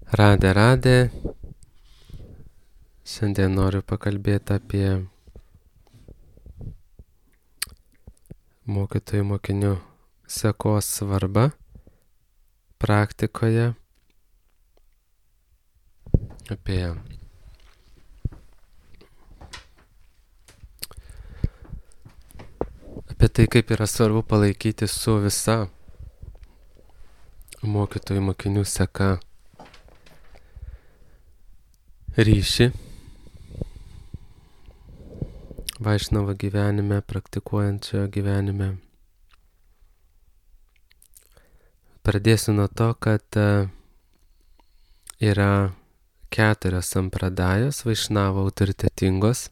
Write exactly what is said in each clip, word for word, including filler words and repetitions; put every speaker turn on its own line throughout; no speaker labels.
Radė, radė. Šiandien noriu pakalbėti apie mokytojų mokinių sekos svarbą praktikoje, apie apie tai, kaip yra svarbu palaikyti su visa mokytojų mokinių seka ryšį Vaišnavo gyvenime, praktikuojančio gyvenime. Pradėsiu nuo to, kad yra keturios sampradajos Vaišnavo autoritetingos.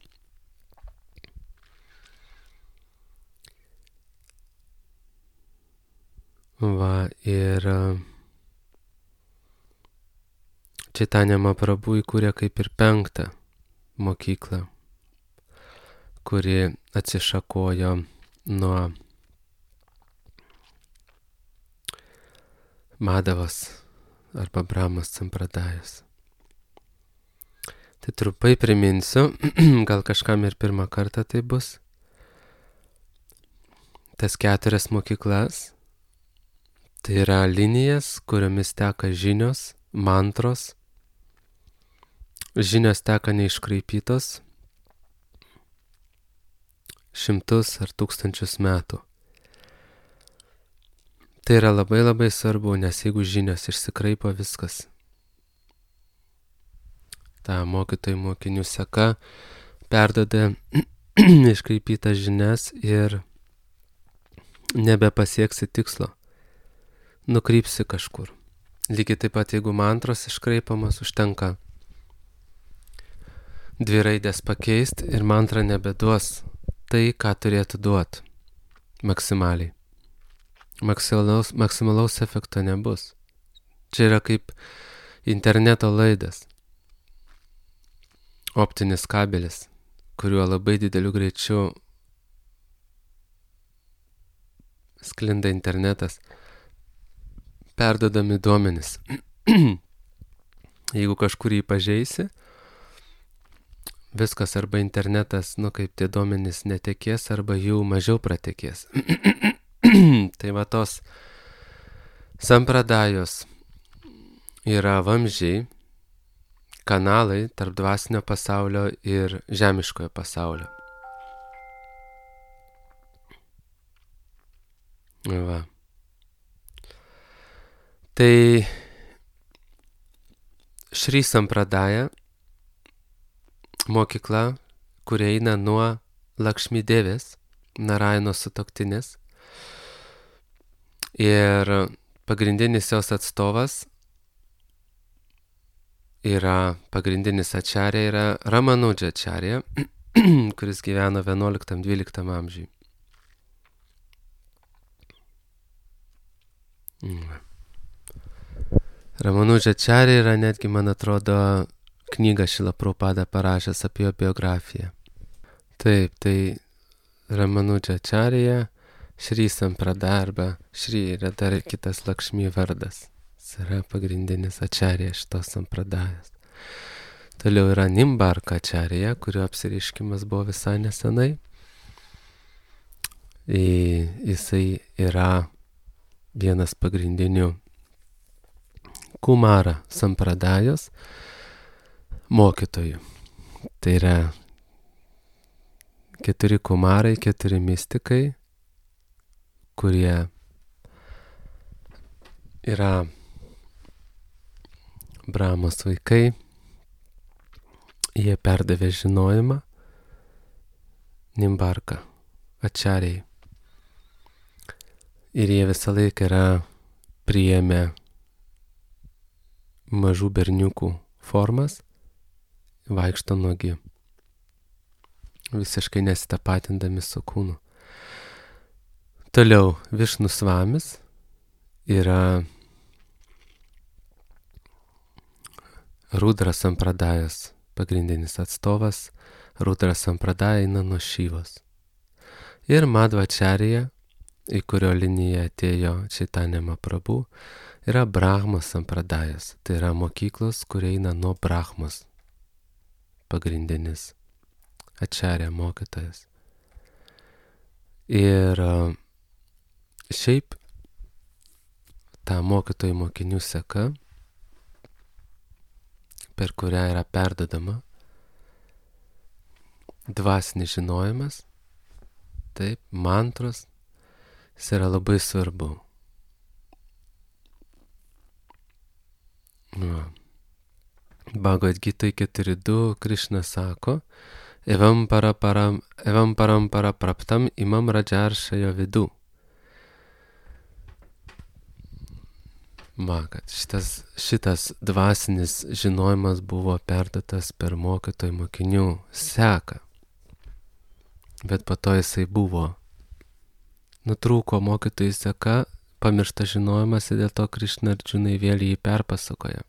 Va, ir Čaitanja Mahaprabhu įkūrė kaip ir penktą mokyklą, kuri atsišakojo nuo Madavos arba Brahmos sampradajos. Tai trumpai priminsiu, gal kažkam ir pirmą kartą tai bus. Tas keturias mokyklas, tai yra linijas, kuriomis teka žinios, mantros. Žinios teka neiškraipytos šimtus ar tūkstančius metų. Tai yra labai labai svarbu, nes jeigu žinios išsikraipo, viskas. Ta mokytojų mokinių seka perduoda iškraipytas žinias ir nebepasieksi tikslo. Nukrypsi kažkur. Lygiai taip pat, jeigu mantros iškraipamos, užtenka dvi raidės pakeisti ir mantra nebeduos tai, ką turėtų duoti maksimaliai. Maksimalaus, maksimalaus efekto nebus. Čia yra kaip interneto laidas. Optinis kabelis, kuriuo labai dideliu greičiu sklinda internetas, perduodami duomenys. Jeigu kažkur jį pažeisi, viskas arba internetas, nu kaip tie duomenys netekės, arba jų mažiau pratekės. Tai va tos sampradajos yra vamzdžiai, kanalai tarp dvasinio pasaulio ir žemiškojo pasaulio. Va. Tai Šri Sampradaja mokykla, kurie eina nuo Lakšmi Devės, Narayano sutuoktinės. Ir pagrindinis jos atstovas yra, pagrindinis ačarė yra Ramanudža ačarė, kuris gyveno vienuoliktam-dvyliktam amžiui. Ramanudža ačarė yra netgi, man atrodo, knygą Šrila Prabhupada parašęs apie jo biografiją. Taip, tai Ramanudža ačarėje, Šri Sampradaja arba Šri yra dar kitas Lakšmi vardas. Jis yra pagrindinis ačarė šitos sampradajos. Toliau yra Nimbarka ačarėje, kurio apsireiškimas buvo visai nesenai. Jisai yra vienas pagrindinių Kumara sampradajos mokytojų. Tai yra keturi kumarai, keturi mistikai, kurie yra Brahmos vaikai. Jie perdavė žinojimą Nimbarka ačarėjai. Ir jie visą laiką yra priėmę mažų berniukų formas, vaikšto nuogi, visiškai nesitapatindami su kūnu. Toliau Višnu Svamis yra Rudra Sampradajos pagrindinis atstovas. Rudra Sampradaja eina nuo Šyvos. Ir Madhva ačarėja į kurio liniją atėjo Chaitanya Mahaprabhu, yra Brahmos sampradajas. Tai yra mokyklos, kurie eina nuo Brahmos. Pagrindinis acharya mokytojas. Ir šiaip ta mokytojų mokinių seka, per kurią yra perdodama dvasinis žinojimas, taip, mantros, jis yra labai svarbu. Nu. Bhagavad Gita keturi du Krishna sako, evam para param, evam param para praptam imam rajaršajo vidu. Va, kad šitas, šitas dvasinis žinojimas buvo perduotas per mokytojų mokinių seką. Bet po to jisai buvo. Nutrūko mokytojų seka, pamiršta žinojimas ir dėl to Krishna Arjunai vėl jį perpasakoja.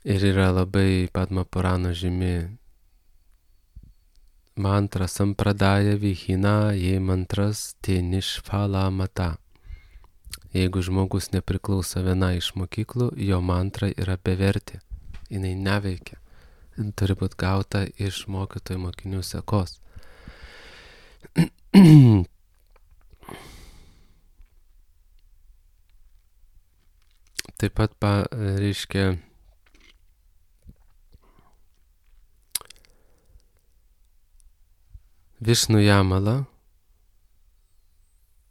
Ir yra labai Padma Purano žymi mantra sampradaja vihina, jei mantras te nishphala mata. Jeigu žmogus nepriklauso viena iš mokyklų, jo mantra yra bevertė. Jinai neveikia. Jin turi būti gauta iš mokytojų mokinių sekos. Taip pat pa, reiškia Višnu Jamala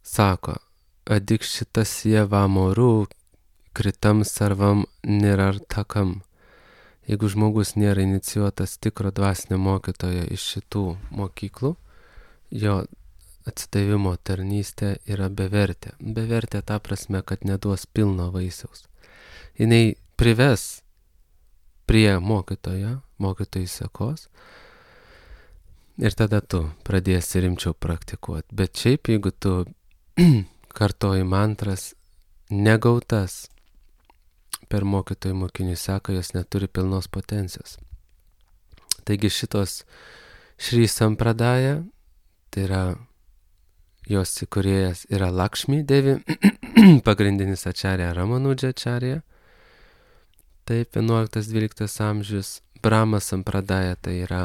sako, adikšitasya vamoru kritam sarvam nirartakam. Jeigu žmogus nėra inicijuotas tikro dvasinio mokytojo iš šitų mokyklų, jo atsidavimo tarnystė yra bevertė. Bevertė ta prasme, kad neduos pilno vaisiaus. Jinai prives prie mokytojo, mokytojų sekos, ir tada tu pradėsi rimčiau praktikuoti. Bet šiaip, jeigu tu kartoji mantras negautas per mokytojų mokinių seką, jos neturi pilnos potencijos. Taigi šitos Šri Sampradaja, tai yra jos įkūrėjas yra Lakshmi Devi, pagrindinis acharya Ramanudža acharya, taip, vienuoliktas dvyliktas amžius. Brahma Sampradaja tai yra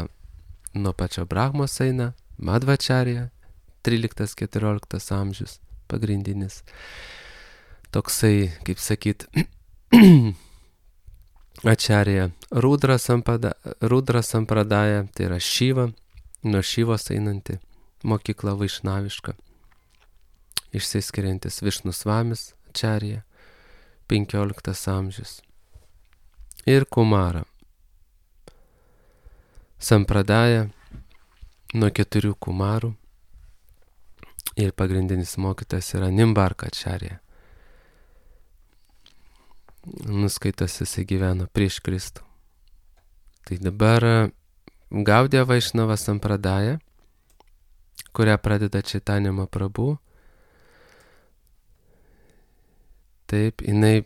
nuo pačio Brahmos eina, Madhvacharya, tryliktas keturioliktas amžius, pagrindinis. Toksai, kaip sakyt, acharya Rudra Sampradaja, Rudra Sampradaja, tai yra Šiva, nuo Šivos einanti mokykla vaišnaviška, išsiskiriantis Višnu Svamis acharya, penkioliktas amžius. Ir Kumara Sampradaja nuo keturių kumarų ir pagrindinis mokytas yra Nimbarka acharya. Nuskaitas jisai gyveno prieš Kristų. Tai dabar Gaudiya Vaišnava Sampradaja, kurią pradeda Chaitanya Mahaprabhu, taip, jinai,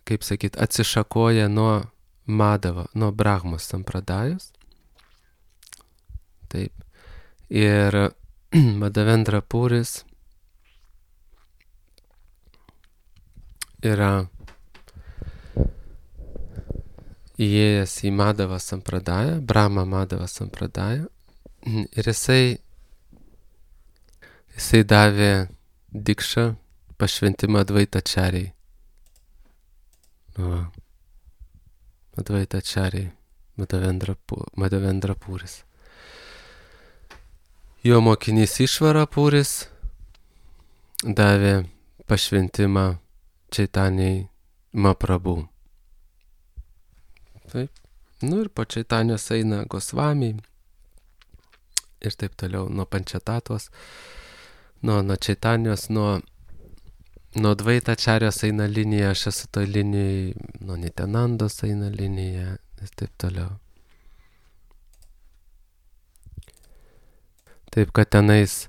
kaip sakyt, atsišakoja nuo Madhava, nuo Brahmos Sampradajos. Taip. Ir Madhavendra Puris yra įėjęs į Madhava Sampradają, Brahma Madhava Sampradają, ir jisai, jisai davė dikšą, pašventimą Advaita Acharyai. Va. Advaita Acharyai, Madhavendra, Madhavendra Puris. Jo mokinys Išvara Puris davė pašventimą Chaitanyai Mahaprabhu. Taip. Nu ir po Chaitanijos eina Gosvamiai ir taip toliau, nuo Pančatatos, nuo, nuo Chaitanijos, nuo, nuo Advaita Acharyos eina linija, aš esu toj linijai, nuo Nityanandos eina linija ir taip toliau. Taip, kad tenais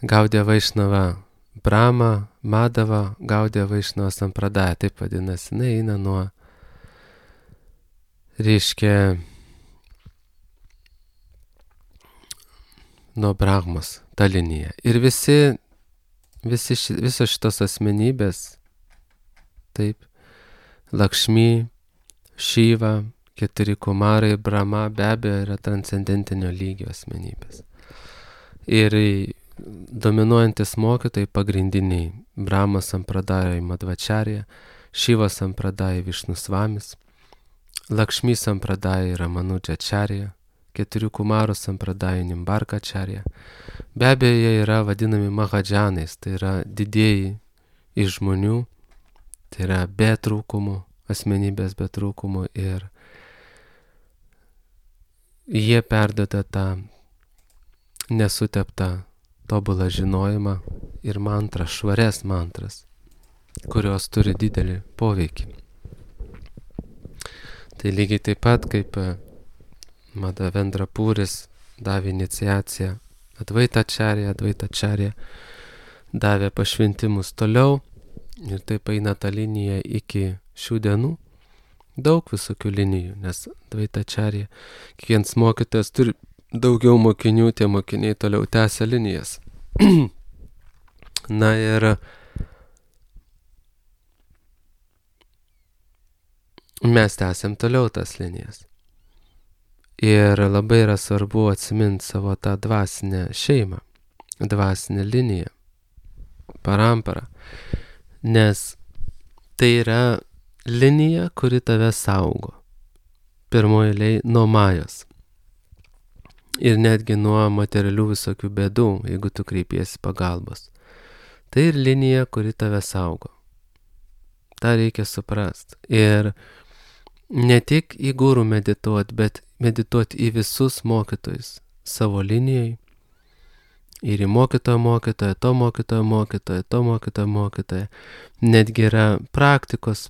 Gaudiya Vaišnava Brahma, Madhava, Gaudiya Vaišnava Sampradaja, taip vadinasi, jinai eina nuo, reiškia, nuo Brahmos, ta linija. Ir visi, visi ši, visos šitos asmenybės, taip, Lakšmi, Šiva, keturi kumarai, Brahma be abejo yra transcendentinio lygio asmenybės. Ir dominuojantis mokytojai pagrindiniai Brahma sampradaya Madhvacharya, Šiva sampradaya Višnusvamis, Lakšmi sampradaya Ramanujačarya, keturių kumarų sampradaya Nimbarkacharya. Be abejo, jie yra vadinami mahadžanais, tai yra didieji iš žmonių, tai yra be trūkumų, asmenybės be trūkumų, ir jie perduoda tą nesuteptą tobulą žinojimą ir mantras, švarias mantras, kurios turi didelį poveikį. Tai lygiai taip pat, kaip Madhavendra Puris davė iniciaciją Advaitacharya, Advaitacharya davė pašventimus toliau, ir taip eina ta linija iki šių dienų. Daug visokių linijų, nes Advaitacharya, kiekvienas mokytojas turi daugiau mokinių, tie mokiniai toliau tęsia linijas. Na ir mes tęsiam toliau tas linijas. Ir labai yra svarbu atsiminti savo tą dvasinę šeimą, dvasinę liniją, paramparą, nes tai yra linija, kuri tave saugo. Pirmoje eilėje nuo majos. Ir netgi nuo materialių visokių bėdų, jeigu tu kreipiesi pagalbos. Tai ir linija, kuri tave saugo. Ta reikia suprasti. Ir ne tik į gurų medituoti, bet medituoti į visus mokytojus savo linijai. Ir į mokytojo mokytoją, to mokytojo mokytoją, to mokytojo mokytoją. Netgi yra praktikos,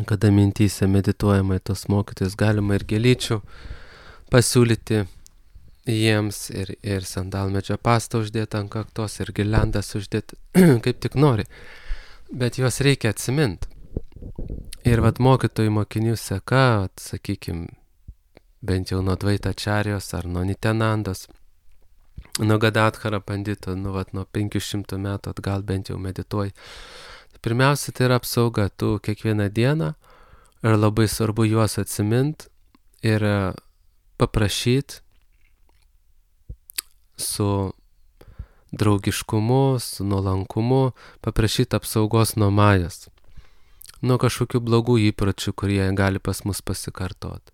kada mintyse medituojama į tos mokytojus, galima ir gėlyčių pasiūlyti jiems, ir, ir sandalmedžio pastą uždėti ant kaktos, ir girliandas uždėti, kaip tik nori. Bet juos reikia atsiminti. Ir vat mokytojų mokinių seka, sakykim, bent jau nuo Advaitačarijos ar nuo Nityanandos, nuo Gadadhara pandito, nu vat nuo penkių šimtų metų atgal bent jau medituoji. Pirmiausia, tai yra apsauga. Tu kiekvieną dieną, ir labai svarbu juos atsimint ir paprašyti su draugiškumu, su nuolankumu, paprašyti apsaugos nuo majos, nuo kažkokių blogų įpročių, kurie gali pas mus pasikartoti,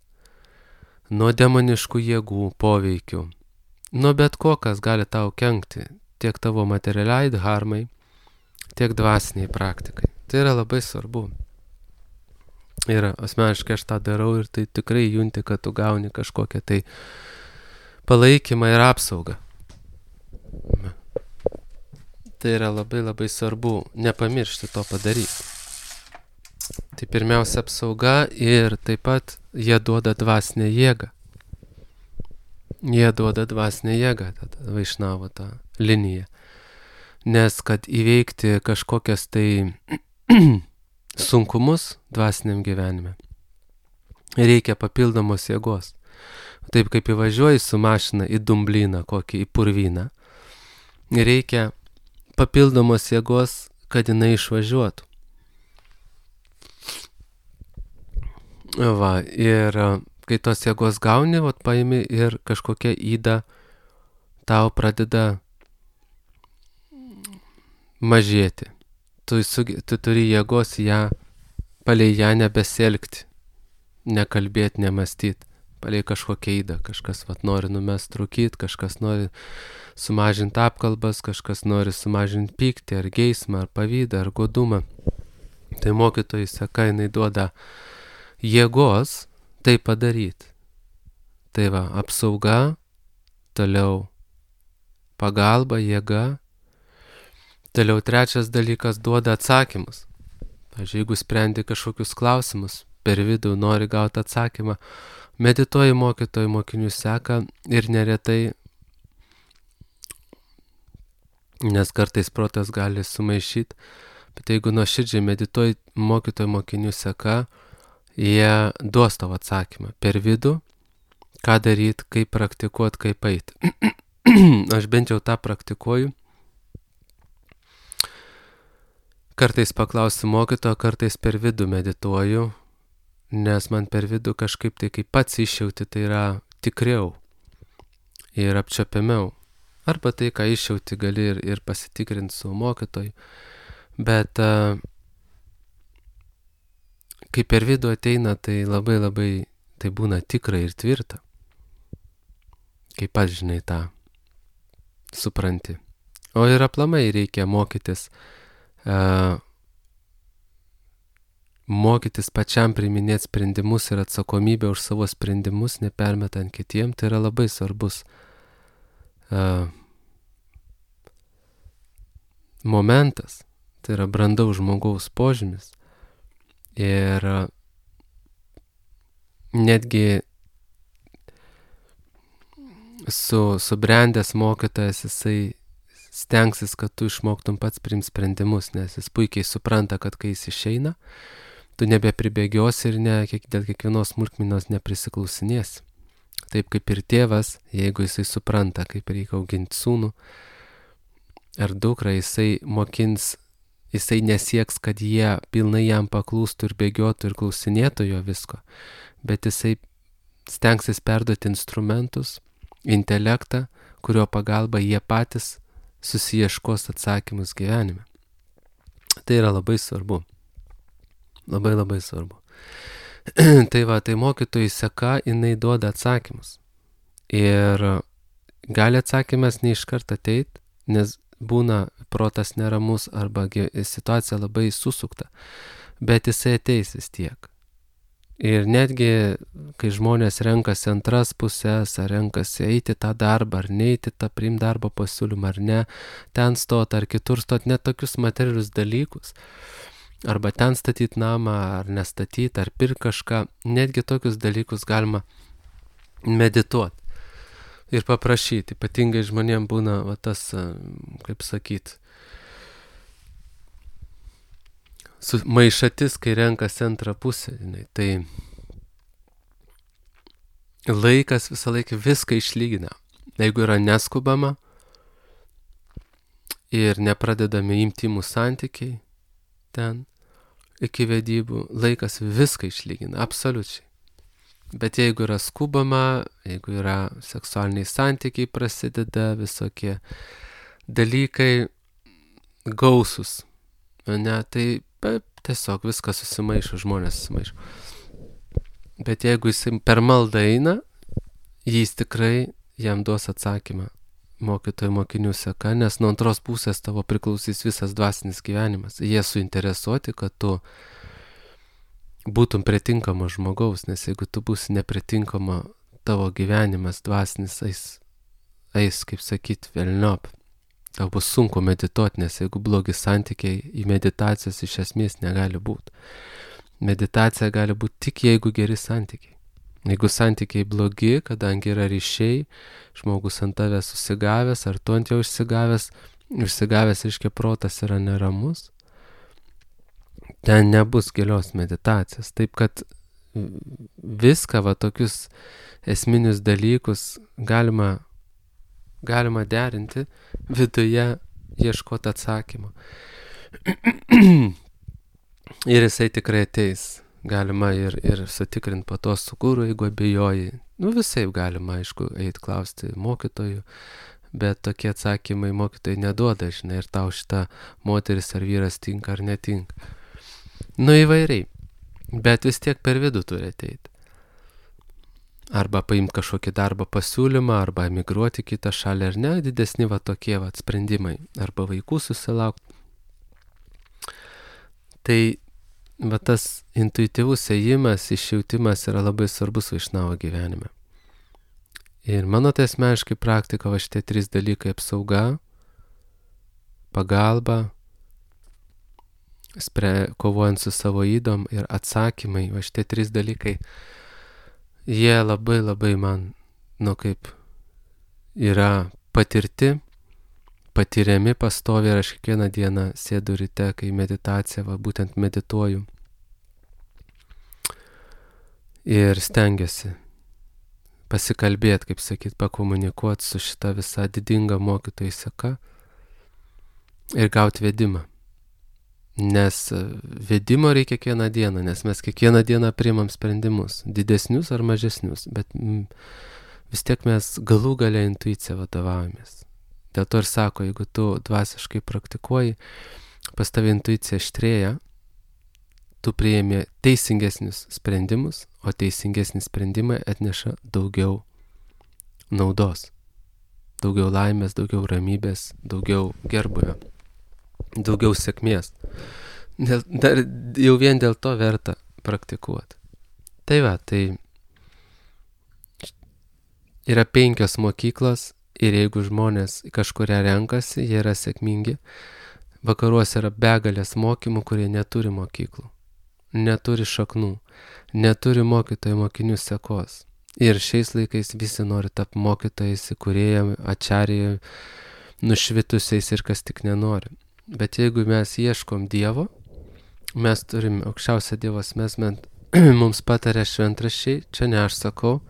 nuo demoniškų jėgų, poveikių, nuo bet ko, kas gali tau kenkti, tiek tavo materialiai dharmai, tiek dvasiniai praktikai. Tai yra labai svarbu. Ir asmeniškai aš tą darau, ir tai tikrai junti, kad tu gauni kažkokią tai palaikymą ir apsaugą. Tai yra labai labai svarbu nepamiršti to padaryti. Tai pirmiausia apsauga, ir taip pat jie duoda dvasinę jėgą. Jie duoda dvasinę jėgą, tada Vaišnavo tą liniją. Nes kad įveikti kažkokias tai sunkumus dvasiniam gyvenime, reikia papildomos jėgos. Taip kaip įvažiuoji su mašina į dumblyną, kokį į purvyną, reikia papildomos jėgos, kad jinai išvažiuotų. Va, ir kai tos jėgos gauni, vat paimi, ir kažkokia yda tau pradeda mažėti. Tu, tu turi jėgos ją, palei ją nebesielgti, nekalbėti, nemastyti, palei kažkokią ydą. Kažkas vat nori numest rūkyti, kažkas nori sumažinti apkalbas, kažkas nori sumažinti pyktį, ar geismą, ar pavydą, ar godumą. Tai mokytojai seka, jinai duoda jėgos tai padaryti. Tai va, apsauga, toliau pagalba, jėga. Toliau trečias dalykas, duoda atsakymus. Pavyzdžiui, jeigu sprendi kažkokius klausimus, per vidų nori gauti atsakymą, medituoji mokytojų mokinių seka, ir neretai, nes kartais protas gali sumaišyti, bet jeigu nuoširdžiai medituoji mokytojų mokinių seka, jie duos tavo atsakymą per vidų, ką daryti, kaip praktikuoti, kaip eiti. aš bent jau tą praktikuoju. Kartais paklausiu mokytojo, kartais per vidų medituoju, nes man per vidų kažkaip tai kaip pats išjauti, tai yra tikriau ir apčiuopiamiau. Arba tai, ką išjauti, gali ir, ir pasitikrinti su mokytoju. Bet uh, kai per vidų ateina, tai labai labai, tai būna tikra ir tvirta. Kaip pats žinai tą supranti. O ir aplamai reikia mokytis Uh, mokytis pačiam priiminėti sprendimus ir atsakomybę už savo sprendimus, nepermetant kitiem, tai yra labai svarbus uh, momentas, tai yra brandaus žmogaus požymis. Ir uh, netgi su subrendęs mokytojas jisai stengsis, kad tu išmoktum pats priimti sprendimus, nes jis puikiai supranta, kad kai jis išeina, tu nebepribėgiosi ir ne, kiek, dėl kiekvienos smulkmenos neprisiklausinėsi. Taip kaip ir tėvas, jeigu jisai supranta, kaip reikia auginti sūnų ar dukrą, jisai mokins, jisai nesieks, kad jie pilnai jam paklūstų ir bėgiotų ir klausinėtų jo visko, bet jisai stengsis perduoti instrumentus, intelektą, kurio pagalba jie patys susiieškos atsakymus gyvenime. Tai yra labai svarbu. Labai labai svarbu. Tai va, tai mokytojų seka, jinai duoda atsakymus. Ir gali atsakymas ne iš karto ateit, nes būna protas neramus arba situacija labai susukta. Bet jisai ateis vis tiek. Ir netgi, kai žmonės renkasi antras pusės, ar renkasi eiti tą darbą, ar neiti tą priimti darbo pasiūlymą, ar ne, ten stot, ar kitur stot, net tokius materialius dalykus, arba ten statyti namą, ar nestatyti, ar pirkti kažką, netgi tokius dalykus galima medituoti ir paprašyti. Ypatingai žmonėm būna va, tas, kaip sakyti, maišatis, kai renkasi antrą pusę. Tai laikas visą laiką viską išlygina. Jeigu yra neskubama ir nepradedami intymų santykiai ten iki vedybų, laikas viską išlygina, absoliučiai. Bet jeigu yra skubama, jeigu yra seksualiniai santykiai prasideda, visokie dalykai gausus, ne, tai tiesiog viskas susimaišo, žmonės susimaišo. Bet jeigu jis per maldą eina, jis tikrai jam duos atsakymą mokytojų mokinių seka, nes nuo antros pusės tavo priklausys visas dvasinis gyvenimas. Jie suinteresuoti, kad tu būtum pritinkamo žmogaus, nes jeigu tu būsi nepritinkama, tavo gyvenimas dvasinis eis, eis kaip sakyt, velniop. Tau bus sunku medituoti, nes jeigu blogi santykiai, į meditacijas iš esmės negali būti. Meditacija gali būti tik jeigu geri santykiai. Jeigu santykiai blogi, kadangi yra ryšiai, žmogus ant tavęs susigavęs, ar tu ant jo išsigavęs, išsigavęs reiškia protas yra neramus, ten nebus gilios meditacijos. Taip kad viską, va, tokius esminius dalykus galima galima derinti viduje, ieškoti atsakymo. Ir jisai tikrai ateis. Galima ir, ir sutikrinti po to su guru, jeigu abejoji. Nu visai galima, aišku, eiti klausti mokytojų, bet tokie atsakymai mokytojai neduoda, žinai, ir tau šita moteris ar vyras tinka ar netinka. Nu įvairiai, bet vis tiek per vidų turi ateiti. Arba paimti kažkokį darbo pasiūlymą, arba emigruoti kitą šalį, ar ne, didesni va tokie va sprendimai, arba vaikų susilaukti. Tai va tas intuityvus ėjimas, išjautimas yra labai svarbus vaišnavo gyvenime. Ir mano tai asmeniškai praktika va šitie trys dalykai: apsauga, pagalba, spre, kovojant su savo ydom, ir atsakymai. Va šitie trys dalykai, jie labai labai man, nu kaip, yra patirti, patiriami pastoviai, ir aš kiekvieną dieną sėdu ryte, kai meditacija, va būtent medituoju. Ir stengiuosi pasikalbėti, kaip sakyt, pakomunikuoti su šita visa didinga mokytojų seka ir gauti vedimą. Nes vedimo reikia kiekvieną dieną, nes mes kiekvieną dieną priimam sprendimus, didesnius ar mažesnius, bet mm, vis tiek mes galų gale intuicija vadovaujamės. Dėl to ir sako, jeigu tu dvasiškai praktikuoji, pas tave intuicija aštrėja, tu priėmė teisingesnius sprendimus, o teisingesni sprendimai atneša daugiau naudos, daugiau laimės, daugiau ramybės, daugiau gerbuvio, daugiau sėkmės. Dėl, dar, jau vien dėl to verta praktikuoti. Tai va, tai yra penkios mokyklos ir jeigu žmonės kažkuria renkasi, jie yra sėkmingi. Vakaruose yra begalės mokymų, kurie neturi mokyklų, neturi šaknų, neturi mokytojų mokinių sekos. Ir šiais laikais visi nori tapti mokytojais, įkūrėjai, ačarijai, nušvitusiais ir kas tik nenori. Bet jeigu mes ieškom Dievo, mes turim aukščiausią Dievo asmenį, mums patarė šventraščiai, čia ne aš sakau,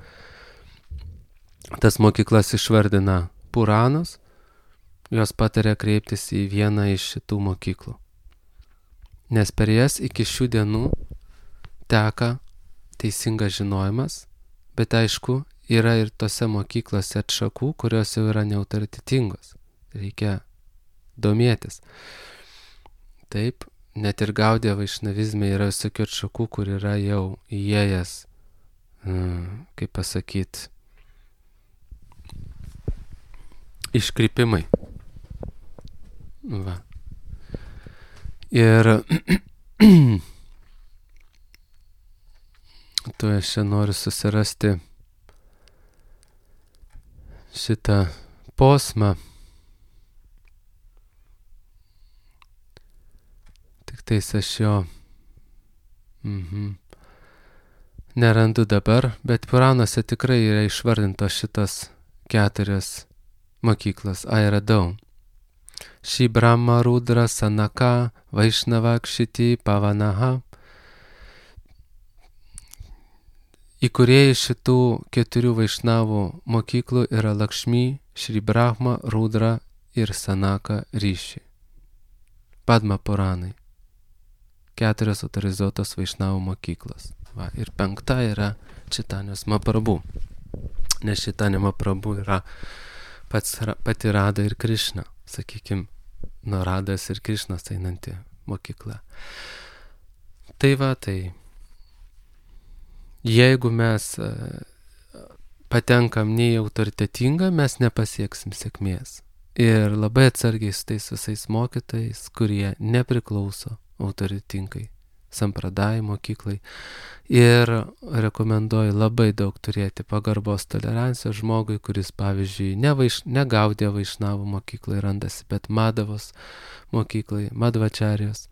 tas mokyklas išvardina Puranas, jos patarė kreiptis į vieną iš šitų mokyklų. Nes per jas iki šių dienų teka teisingas žinojimas, bet aišku, yra ir tose mokyklose atšakų, kurios jau yra neautoritetingos. Reikia domėtis. Taip, net ir Gaudija vaišnavizme yra visokių atšakų, kur yra jau įėjęs, kaip pasakyt, iškrypimai. Va. Ir tu aš čia noriu susirasti šitą posmą. Tik tais aš jo mhm. nerandu dabar, bet Puranuose tikrai yra išvardintos šitas keturios mokyklos. Ai, radau. Ši Brahma, Rudra, Sanaka, Vaišnava, Kšiti, Pavanaha. Įkūrėjai šitų keturių Vaišnavų mokyklų yra Lakšmi, Šri Brahma, Rudra ir Sanaka Rishi. Padma Puranai. Keturios autorizuotos Vaišnavų mokyklos. Va, ir penkta yra Čaitanijos Mahaprabhu. Nes Čaitanija Mahaprabhu yra pats, pati Rada ir Krišna, sakykim, nuo Radas ir Krišnas einanti mokykla. Tai va, tai jeigu mes patenkam ne į autoritetingą, mes nepasieksim sėkmės. Ir labai atsargiai su tais visais mokytojais, kurie nepriklauso autoritetingai sampradai mokyklai. Ir rekomenduoju labai daug turėti pagarbos tolerancijos žmogui, kuris, pavyzdžiui, ne, vaiš, ne Gaudija vaišnavų mokyklai randasi, bet Madavos mokyklai, Madvačarijos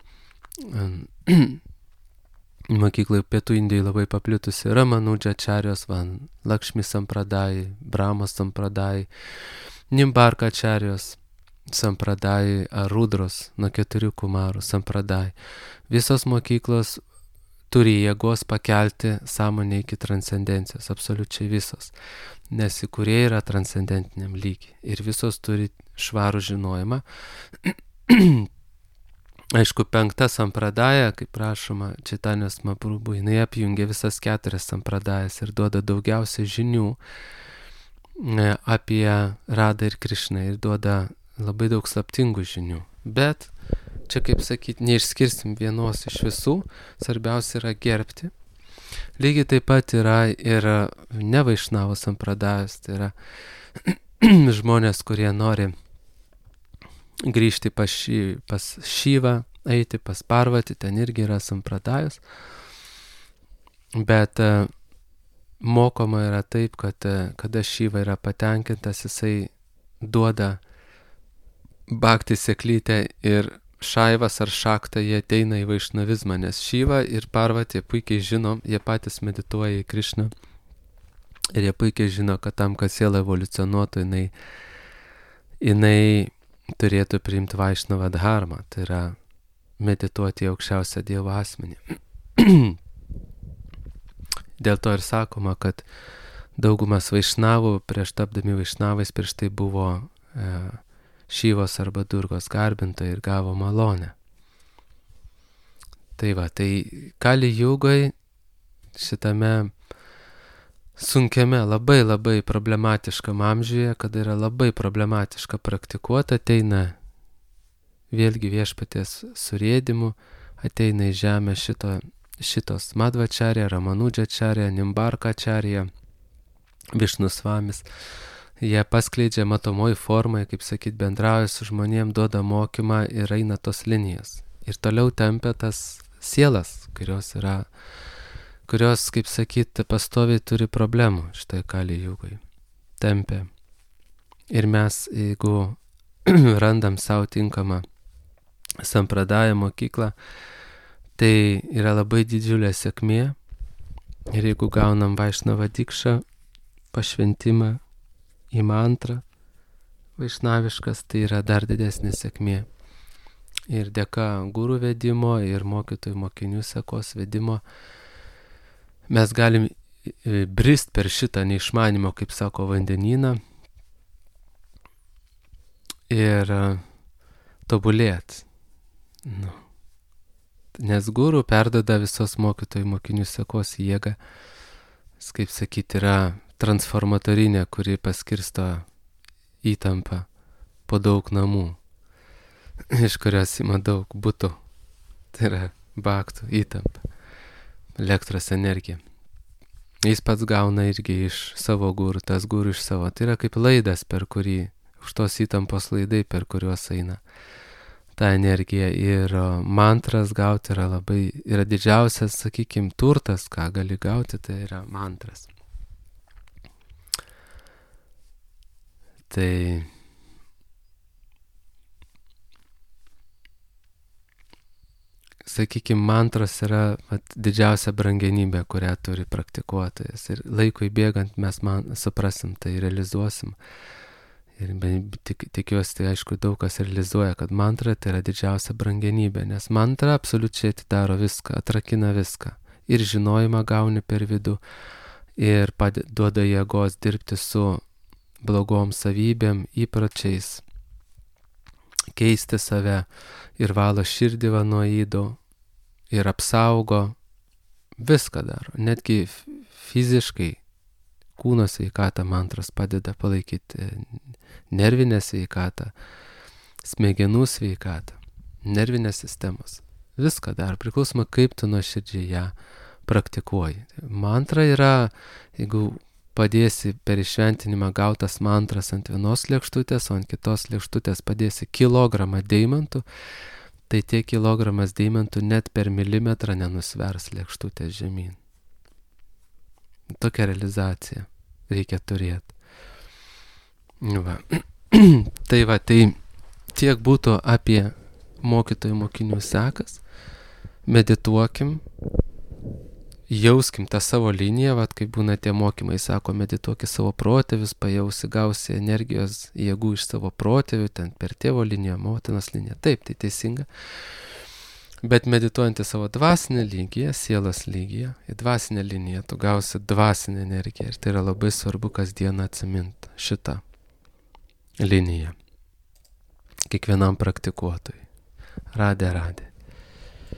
mokyklai Pietų Indijai labai paplitusi, Ramanudžačarijos, van, Lakšmi sampradai, Brahmos sampradai, Nimbarkačarijos sampradai, ar Rudros nuo keturių kumarų sampradai. Visos mokyklos turi jėgos pakelti sąmonę iki transcendencijos, absoliučiai visos, nes įkūrėjai yra transcendentiniam lygiai ir visos turi švarų žinojimą. Aišku, penkta sampradaja, kaip rašoma Čaitanijos Mahaprabhu, jinai apjungia visas keturias sampradajas ir duoda daugiausiai žinių apie Radą ir Krišną ir duoda labai daug slaptingų žinių. Bet čia, kaip sakyt, neišskirsim vienos iš visų, svarbiausia yra gerbti. Lygiai taip pat yra ir ne Vaišnavų sampradajos, tai yra žmonės, kurie nori grįžti pas, šį, pas Šyvą, eiti pas Parvatį, ten irgi yra sampradajos. Bet mokoma yra taip, kad kada Šyva yra patenkintas, jisai duoda bhakti seklytę ir Šaivas ar Šakta, jie ateina į vaišnavizmą, nes Šyva ir Parvatį puikiai žino, jie patys medituoja į Krišną ir jie puikiai žino, kad tam, kad siela evoliucionuotų, jinai, jinai turėtų priimti Vaišnava dharmą, tai yra medituoti į aukščiausią Dievo asmenį. Dėl to ir sakoma, kad daugumas vaišnavų prieš tapdami vaišnavais prieš tai buvo e, Šyvos arba Durgos garbintojai ir gavo malonę. Tai va, tai Kali Jugai šitame sunkiame, labai labai problematiškam amžiuje, kada yra labai problematiška praktikuota, ateina vėlgi viešpaties surėdimu, ateina į žemę šito, šitos Madhvačarya, Ramanudžačarya, Nimbarkačarya, Višnusvamis. Jie paskleidžia matomoj formai, kaip sakyt, bendrauja su žmonėm, duoda mokymą ir eina tos linijos. Ir toliau tempia tas sielas, kurios yra, kurios, kaip sakyt, pastoviai turi problemų štai Kali Jugai. Tempia. Ir mes, jeigu randam savo tinkamą sampradają mokyklą, tai yra labai didžiulė sėkmė. Ir jeigu gaunam Vaišnava dikšą, pašventimą į mantrą vaišnaviškas, tai yra dar didesnė sėkmė. Ir dėka gurų vedimo ir mokytojų mokinių sekos vedimo mes galim brist per šitą neišmanimo, kaip sako, vandenyną ir tobulėt. Nu. Nes gurų perdada visos mokytojų mokinių sekos jėgą, kaip sakyti, yra transformatorinė, kuri paskirsto įtampą po daug namų, iš kurios ima daug butų. Tai yra bhaktų įtampa, elektros energija. Jis pats gauna irgi iš savo gurų, tas gurų iš savo. Tai yra kaip laidas, per kurį, už tos įtampos laidai, per kuriuos eina ta energija. Ir mantras gauti yra labai, yra didžiausias, sakykime, turtas, ką gali gauti, tai yra mantras. Tai sakykime, mantros yra vat, didžiausia brangenybė, kurią turi praktikuotojas. Ir laikui bėgant mes man suprasim, tai realizuosim. Ir tik, tikiuosi, tai aišku, daug kas realizuoja, kad mantra tai yra didžiausia brangenybė, nes mantra absoliučiai atidaro viską, atrakina viską. Ir žinojimą gauni per vidų, ir duoda jėgos dirbti su blogom savybėm, įpročiais, keisti save ir valo širdį nuo ydų ir apsaugo, viską daro. Netgi fiziškai kūno sveikatą mantros padeda palaikyti, nervinę sveikatą, smegenų sveikatą, nervinės sistemos. Viską daro, priklausoma kaip tu nuoširdžiai ją praktikuoji. Mantra yra, jeigu padėsi per išventinimą gautas mantras ant vienos lėkštutės, o ant kitos lėkštutės padėsi kilogramą deimantų, tai tie kilogramas deimantų net per milimetrą nenusvers lėkštutės žemyn. Tokia realizacija reikia turėti. Va. Tai va, tai tiek būtų apie mokytojų mokinių sekas. Medituokim. Jauskim tą savo liniją, vat, kaip būna tie mokymai, sako, medituoki savo protėvius, pajausi, gausi energijos, jėgų iš savo protėvių, ten per tėvo liniją, motinos liniją. Taip, tai teisinga. Bet medituojant į savo dvasinę lygiją, sielos lygiją, į dvasinę liniją, tu gausi dvasinę energiją. Ir tai yra labai svarbu kasdieną atsiminti šitą liniją. Kiekvienam praktikuotojui. Radė, radė.